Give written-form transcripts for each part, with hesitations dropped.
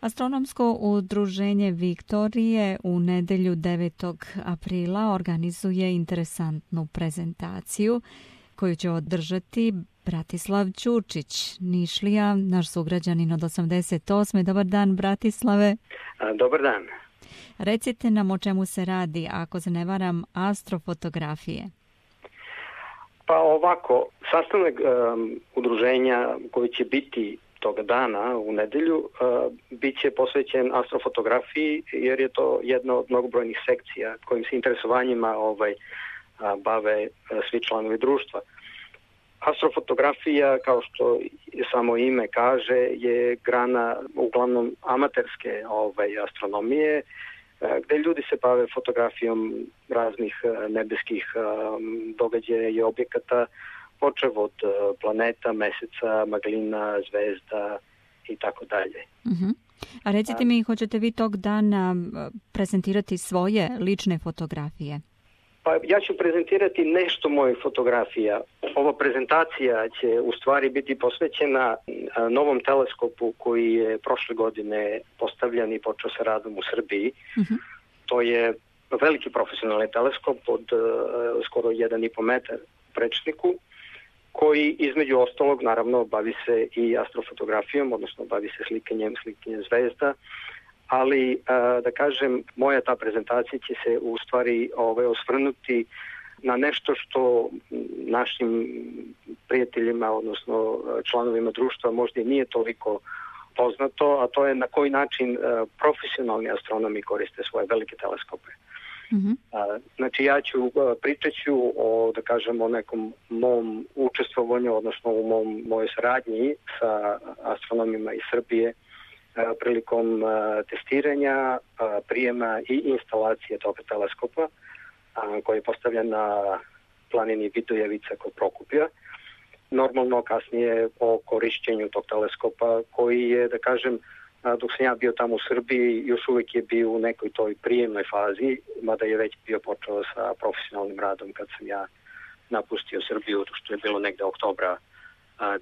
Astronomsko udruženje Viktorije u nedelju 9. aprila organizuje interesantnu prezentaciju koju će održati Bratislav Ćurčić, Nišlija, naš sugrađanin od 88. Dobar dan, Bratislave. Dobar dan. Recite nam o čemu se radi, ako se ne varam, astrofotografije. Pa ovako, sastanak udruženja koji će biti toga dana u nedelju bit će posvećen astrofotografiji, jer je to jedna od mnogobrojnih sekcija kojim se interesovanjima bave svi članovi društva. Astrofotografija, kao što samo ime kaže, je grana uglavnom amaterske astronomije, gde ljudi se bave fotografijom raznih nebeskih događaja i objekata, počev od planeta, meseca, maglina, zvezda i tako dalje. A recite mi, hoćete vi tog dana prezentirati svoje lične fotografije? Pa ja ću prezentirati nešto mojih fotografija. Ova prezentacija će u stvari biti posvećena novom teleskopu koji je prošle godine postavljan i počeo sa radom u Srbiji. To je veliki profesionalni teleskop od skoro 1,5 metar u prečniku, koji između ostalog naravno bavi se i astrofotografijom, odnosno bavi se slikanjem zvezda, ali da kažem, moja ta prezentacija će se u stvari osvrnuti na nešto što našim prijateljima, odnosno članovima društva možda i nije toliko poznato, a to je na koji način profesionalni astronomi koriste svoje velike teleskope. Znači ja pričat ću o, da kažem, o nekom mom učestvovanju, odnosno u mojoj saradnji sa astronomima iz Srbije prilikom testiranja, prijema i instalacije tog teleskopa koji je postavljen na planini Vidojevica kod Prokupija. Normalno kasnije o korišćenju tog teleskopa koji je, da kažem, dok sam ja bio tamo u Srbiji, još uvijek je bio u nekoj toj prijemnoj fazi, mada je već bio počeo sa profesionalnim radom kad sam ja napustio Srbiju, što je bilo negde oktobra 2016.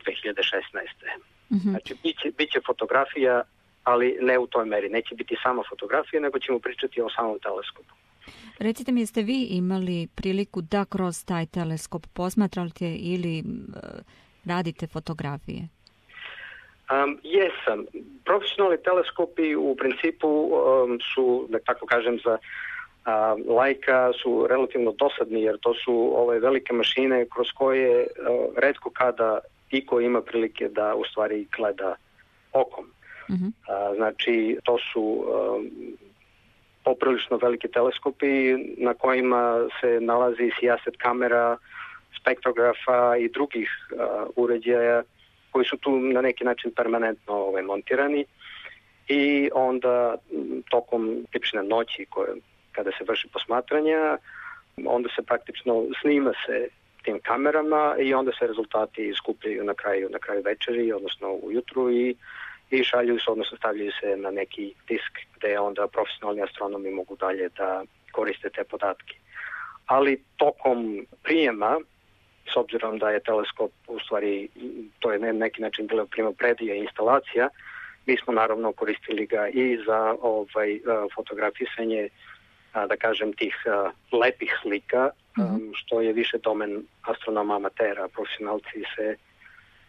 Znači, bit će fotografija, ali ne u toj meri. Neće biti sama fotografija, nego ćemo pričati o samom teleskopu. Recite mi, jeste vi imali priliku da kroz taj teleskop posmatrate ili radite fotografije? Jesam. Profesionalni teleskopi u principu su, da tako kažem, za laika su relativno dosadni, jer to su velike mašine kroz koje retko kada iko ima prilike da u stvari gleda okom. Znači, to su poprilično veliki teleskopi na kojima se nalazi sijaset kamera, spektrografa i drugih uređaja koji su tu na neki način permanentno montirani, i onda tokom tipične noći kada se vrši posmatranja, onda se praktično snima se tim kamerama i onda se rezultati skupljaju na kraju večeri, odnosno ujutru, i šalju se, odnosno stavljaju se na neki disk gde onda profesionalni astronomi mogu dalje da koriste te podatke. Ali tokom prijema, s obzirom da je teleskop u stvari, to je na neki način bila primopredija i instalacija, mi smo naravno koristili ga i za fotografisanje, da kažem, tih lepih slika, što je više domen astronoma amatera. Profesionalci se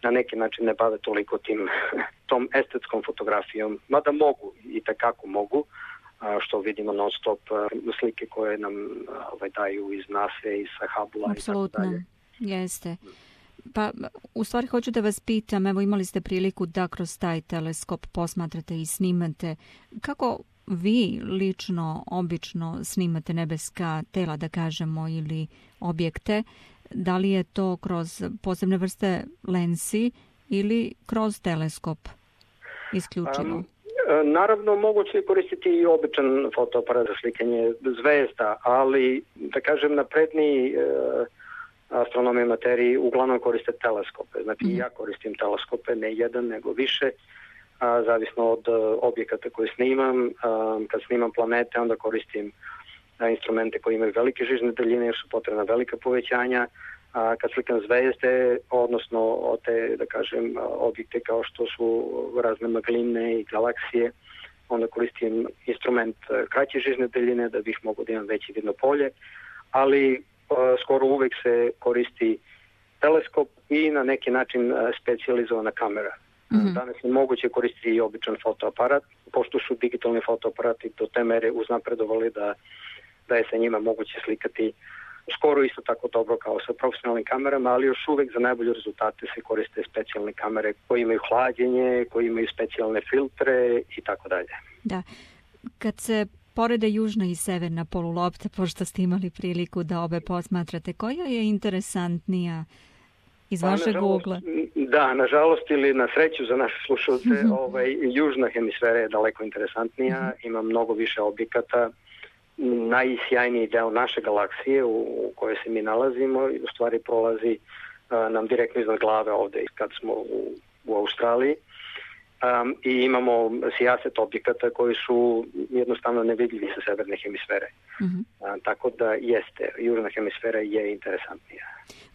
na neki način ne bave toliko tom estetskom fotografijom, mada mogu i takako mogu, što vidimo non stop slike koje nam daju iz NASA i sa Hubble-a i tako dalje. Jeste. Pa, u stvari hoću da vas pitam, evo imali ste priliku da kroz taj teleskop posmatrate i snimate. Kako vi lično, obično snimate nebeska tela, da kažemo, ili objekte? Da li je to kroz posebne vrste lensi ili kroz teleskop isključivo? Naravno, moguće je koristiti i običan fotoaparat za slikanje zvezda, ali, da kažem, napredniji astronomi i materiji uglavnom koriste teleskope. Znači, ja koristim teleskope, ne jedan, nego više, zavisno od objekata koje snimam. Kad snimam planete, onda koristim instrumente koji imaju velike žižne daljine, jer su potrebna velika povećanja. Kad slikam zvezde, odnosno te, da kažem, objekte kao što su razne magline i galaksije, onda koristim instrument kraće žižne daljine da bih mogao da imam veće vidno polje, ali skoro uvek se koristi teleskop i na neki način specijalizovana kamera. Danas je moguće koristiti i običan fotoaparat, pošto su digitalni fotoaparati do te mere uznapredovali da je sa njima moguće slikati skoro isto tako dobro kao sa profesionalnim kamerama, ali još uvek za najbolje rezultate se koriste specijalne kamere koje imaju hlađenje, koje imaju specijalne filtre i tako dalje. Da. Kad se porede južna i severna polulopta, pošto ste imali priliku da obe posmatrate, koja je interesantnija iz vašeg ugla? Da, nažalost ili na sreću za naše slušalce, južna hemisfera je daleko interesantnija, ima mnogo više objekata. Najsjajniji deo naše galaksije u kojoj se mi nalazimo u stvari prolazi nam direktno iznad glave ovde kad smo u Australiji i imamo sijaset objekata koji su jednostavno nevidljivi sa severne hemisfere. Tako da jeste, južna hemisfera je interesantnija.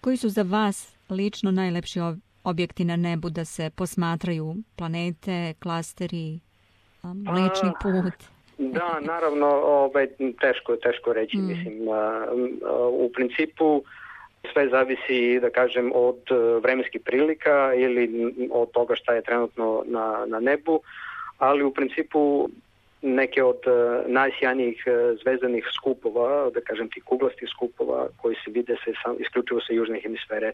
Koji su za vas lično najlepši objekti na nebu da se posmatraju? Planete, klasteri, Mlečni put? Da, naravno, teško reći. Mislim, u principu sve zavisi, da kažem, od vremenskih prilika ili od toga šta je trenutno na nebu, ali u principu neke od najsjajnijih zvezdanih skupova, da kažem tih kuglastih skupova koji se vide isključivo sa južne hemisfere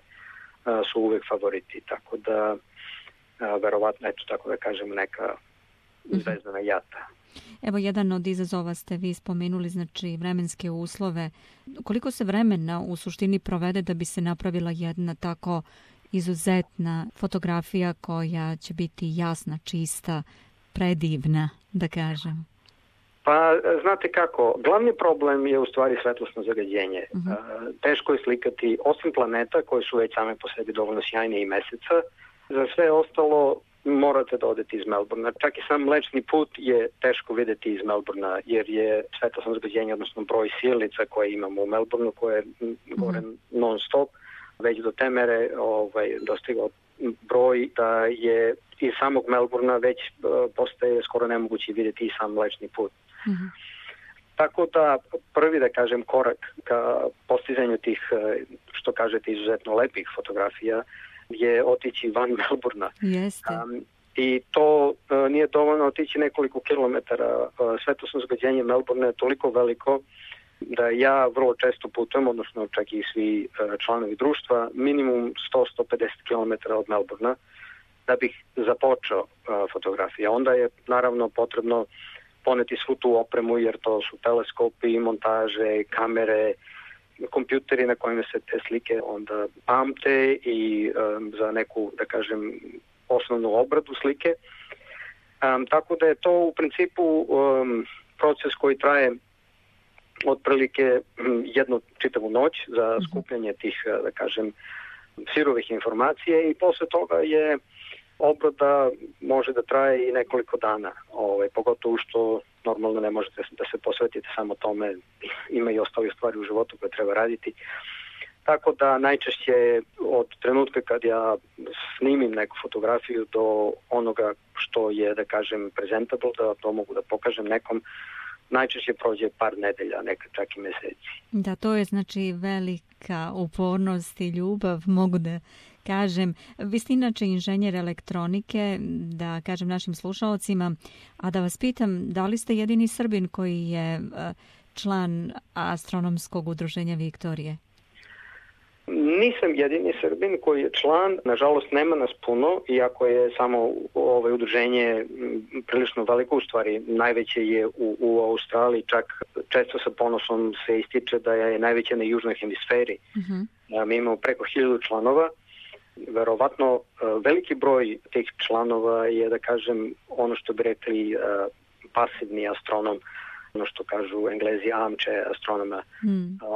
su uvek favoriti, tako da verovatno, eto tako da kažem, neka zvezdana jata. Evo, jedan od izazova ste vi spomenuli, znači vremenske uslove. Koliko se vremena u suštini provede da bi se napravila jedna tako izuzetna fotografija koja će biti jasna, čista, predivna, da kažem? Pa, znate kako, glavni problem je u stvari svetlosno zagađenje. Teško je slikati, osim planeta koje su već same po sebi dovoljno sjajne i Meseca, za sve ostalo morate da odete iz Melbourna. Čak i sam Mlečni put je teško videti iz Melbourna, jer je svetlosno zagađenje, odnosno broj sijalica koje imamo u Melbournu, koje gore non stop, već do te mere dostigao broj da je iz samog Melbourna već postaje skoro nemoguće videti i sam Mlečni put. Tako da prvi, da kažem, korak ka postizanju tih, što kažete, izuzetno lepih fotografija je otići van Melbourna. Jeste. I to nije dovoljno otići nekoliko kilometara. Svetlosno zagađenje Melbourna je toliko veliko da ja vrlo često putujem, odnosno čak i svi članovi društva, minimum 100-150 km od Melbourna da bih započeo fotografije. Onda je naravno potrebno poneti svu tu opremu, jer to su teleskopi, montaže, kamere, kompjuteri na kojima se te slike onda pamte i za neku, da kažem, osnovnu obradu slike. Tako da je to u principu proces koji traje otprilike jednu čitavu noć za skupljanje tih, da kažem, sirovih informacije i posle toga je obrada može da traje i nekoliko dana, pogotovo što normalno ne možete da se posvetite samo tome, ima i ostale stvari u životu koje treba raditi. Tako da najčešće od trenutka kad ja snimim neku fotografiju do onoga što je, da kažem, presentable, da to mogu da pokažem nekom, najčešće prođe par nedelja, nekad čak i meseci. Da, to je znači velika upornost i ljubav, mogu da kažem. Vi ste inače inženjer elektronike, da kažem našim slušalcima, a da vas pitam, da li ste jedini Srbin koji je član Astronomskog udruženja Viktorije? Nisam jedini Srbin koji je član, nažalost nema nas puno, iako je samo udruženje prilično veliko, u stvari najveće je u Australiji, čak često sa ponosom se ističe da je najveće na južnoj hemisferi. Mi imamo preko 1000 članova, verovatno veliki broj tih članova je, da kažem, ono što bi rekli pasivni astronom, ono što kažu Englezi armchair astronoma,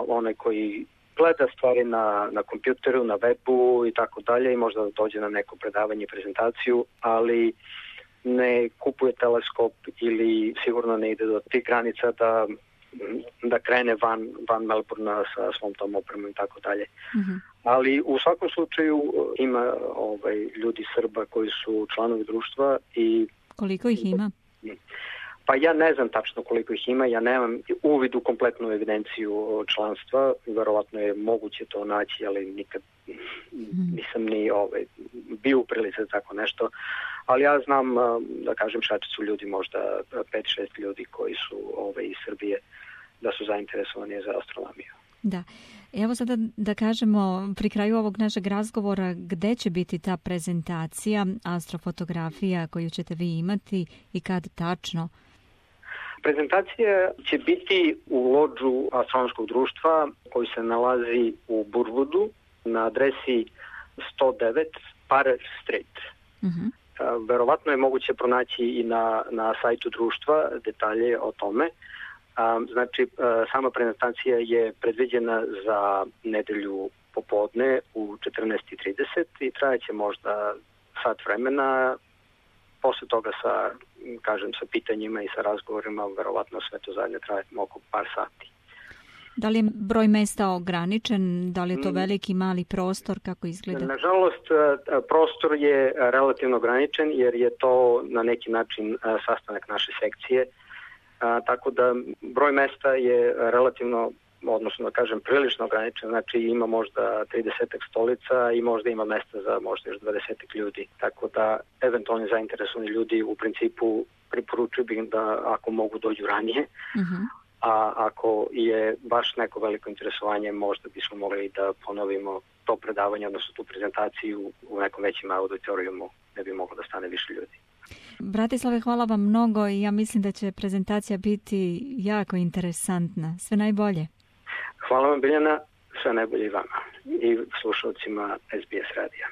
onaj koji gleda stvari na kompjuteru, na webu i tako dalje i možda dođe na neko predavanje i prezentaciju, ali ne kupuje teleskop ili sigurno ne ide do tih granica da krene van Melbourna sa svom tom opremom i tako dalje. Ali u svakom slučaju ima ljudi Srba koji su članovi društva i... Koliko ih ima? Pa ja ne znam tačno koliko ih ima, ja nemam uvid u kompletnu evidenciju članstva, verovatno je moguće to naći, ali nikad nisam ni bio u prilici za tako nešto, ali ja znam, da kažem, šta su ljudi, možda 5-6 ljudi koji su iz Srbije, da su zainteresovani za astronomiju. Da. Evo sada da kažemo pri kraju ovog našeg razgovora gde će biti ta prezentacija astrofotografija koju ćete vi imati i kad tačno? Prezentacija će biti u lodžu astronomskog društva koji se nalazi u Burwoodu na adresi 109 Parrer Street. Verovatno je moguće pronaći i na sajtu društva detalje o tome. Znači, sama prezentacija je predviđena za nedelju popodne u 14:30 i trajaće možda sat vremena. Posle toga sa pitanjima i sa razgovorima, verovatno sve to zajedno traje oko par sati. Da li je broj mesta ograničen? Da li je to veliki, mali prostor? Kako izgleda? Nažalost, prostor je relativno ograničen jer je to na neki način sastanak naše sekcije. Tako da broj mesta je relativno, odnosno da kažem prilično ograničen, znači ima možda 30 stolica i možda ima mesta za možda još 20 ljudi. Tako da eventualni zainteresovani ljudi u principu preporučuju bih da ako mogu dođu ranije, a ako je baš neko veliko interesovanje možda bismo mogli da ponovimo to predavanje, odnosno tu prezentaciju u nekom većem auditorijumu gde bi moglo da stane više ljudi. Bratislave, hvala vam mnogo i ja mislim da će prezentacija biti jako interesantna. Sve najbolje. Hvala vam, Biljana. Sve najbolje i vama i slušalcima SBS radija.